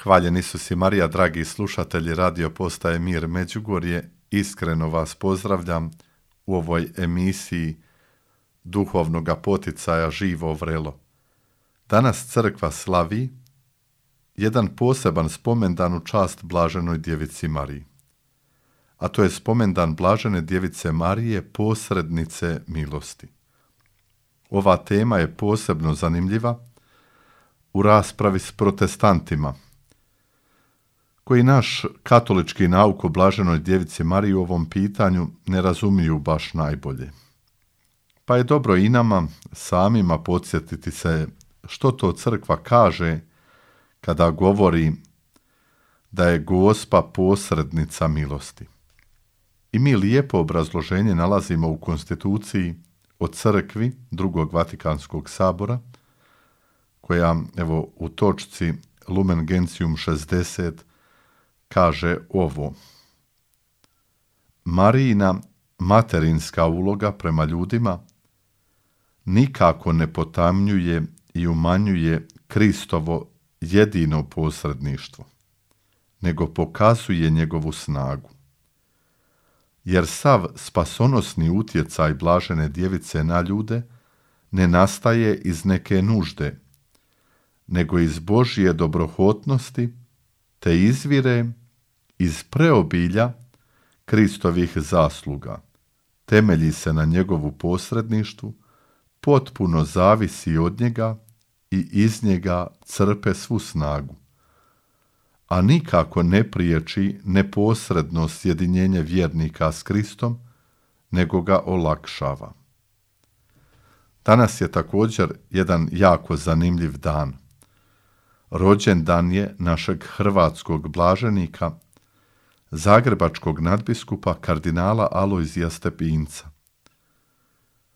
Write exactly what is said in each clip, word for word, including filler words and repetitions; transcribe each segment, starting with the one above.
Hvaljen Isus i Marija, dragi slušatelji radio postaje Mir Međugorje, iskreno vas pozdravljam u ovoj emisiji duhovnog poticaja Živo vrelo. Danas crkva slavi jedan poseban spomendan u čast Blaženoj Djevici Mariji, a to je spomendan Blažene Djevice Marije, posrednice milosti. Ova tema je posebno zanimljiva u raspravi s protestantima, koji naš katolički nauk o Blaženoj Djevici Mariji u ovom pitanju ne razumiju baš najbolje. Pa je dobro i nama samima podsjetiti se što to crkva kaže kada govori da je Gospa posrednica milosti. I mi lijepo obrazloženje nalazimo u konstituciji o crkvi drugog Vatikanskog sabora, koja evo u točci Lumen Gentium šezdeset kaže ovo: Marijina materinska uloga prema ljudima nikako ne potamnjuje i umanjuje Kristovo jedino posredništvo, nego pokazuje njegovu snagu. Jer sav spasonosni utjecaj Blažene Djevice na ljude ne nastaje iz neke nužde, nego iz Božje dobrohotnosti, te izvire iz preobilja Kristovih zasluga, temelji se na njegovu posredništvu, potpuno zavisi od njega i iz njega crpe svu snagu, a nikako ne priječi neposredno sjedinjenje vjernika s Kristom, nego ga olakšava. Danas je također jedan jako zanimljiv dan. Rođendan je našeg hrvatskog blaženika, zagrebačkog nadbiskupa kardinala Alojzija Stepinca.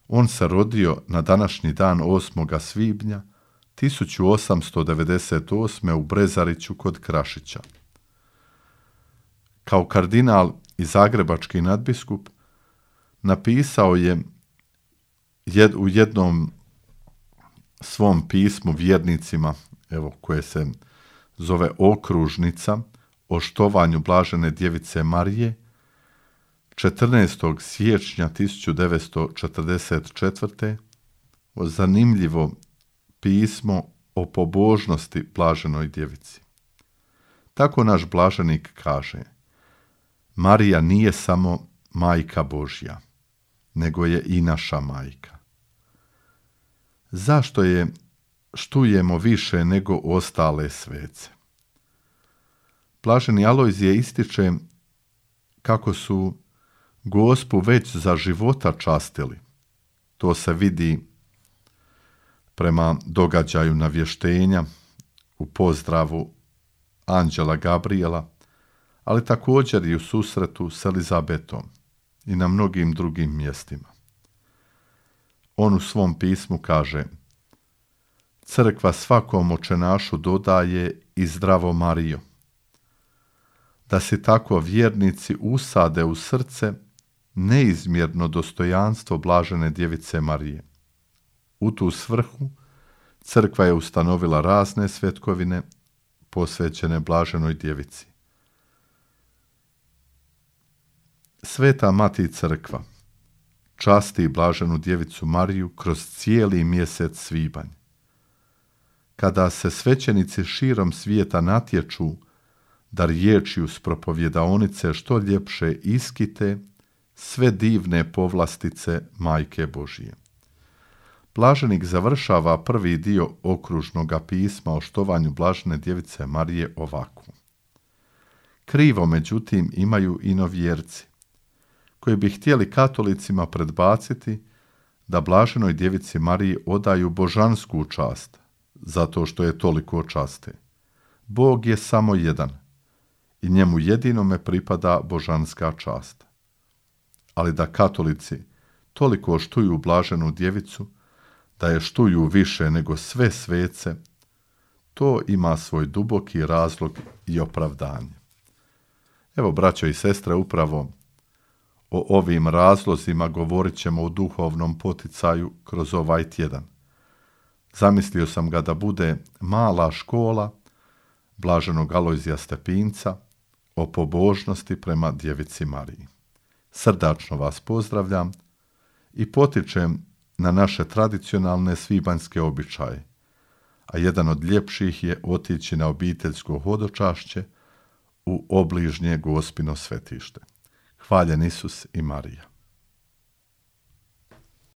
On se rodio na današnji dan osmog svibnja tisuću osamsto devedeset osme. u Brezariću kod Krašića. Kao kardinal i zagrebački nadbiskup napisao je jed, u jednom svom pismu vjernicima, evo koje se zove Okružnica, o štovanju Blažene Djevice Marije, četrnaestog siječnja tisuću devetsto četrdeset četvrte. zanimljivo pismo o pobožnosti Blaženoj Djevici. Tako naš blaženik kaže: Marija nije samo majka Božja, nego je i naša majka. Zašto je štujemo više nego ostale svece? Blaženi Alojzije ističe kako su Gospu već za života častili. To se vidi prema događaju navještenja u pozdravu anđela Gabriela, ali također i u susretu s Elizabetom i na mnogim drugim mjestima. On u svom pismu kaže: Crkva svakom očenašu dodaje i Zdravo Marijo, da si tako vjernici usade u srce neizmjerno dostojanstvo Blažene Djevice Marije. U tu svrhu crkva je ustanovila razne svetkovine posvećene Blaženoj Djevici. Sveta Mati Crkva časti Blaženu Djevicu Mariju kroz cijeli mjesec svibanj. Kada se svećenici širom svijeta natječu da riječju s propovjedaonice što ljepše iskite sve divne povlastice Majke Božije. Blaženik završava prvi dio okružnoga pisma o štovanju Blažene Djevice Marije ovako: Krivo, međutim, imaju i novjerci, koji bi htjeli katolicima predbaciti da Blaženoj Djevici Mariji odaju božansku čast, zato što je toliko časte. Bog je samo jedan i njemu jedinome pripada božanska čast. Ali da katolici toliko štuju Blaženu Djevicu, da je štuju više nego sve svece, to ima svoj duboki razlog i opravdanje. Evo, braćo i sestre, upravo o ovim razlozima govorit ćemo u duhovnom poticaju kroz ovaj tjedan. Zamislio sam ga da bude mala škola blaženog Alojzija Stepinca o pobožnosti prema djevici Mariji. Srdačno vas pozdravljam i potičem na naše tradicionalne svibanjske običaje, a jedan od ljepših je otići na obiteljsko hodočašće u obližnje Gospino svetište. Hvaljen Isus i Marija.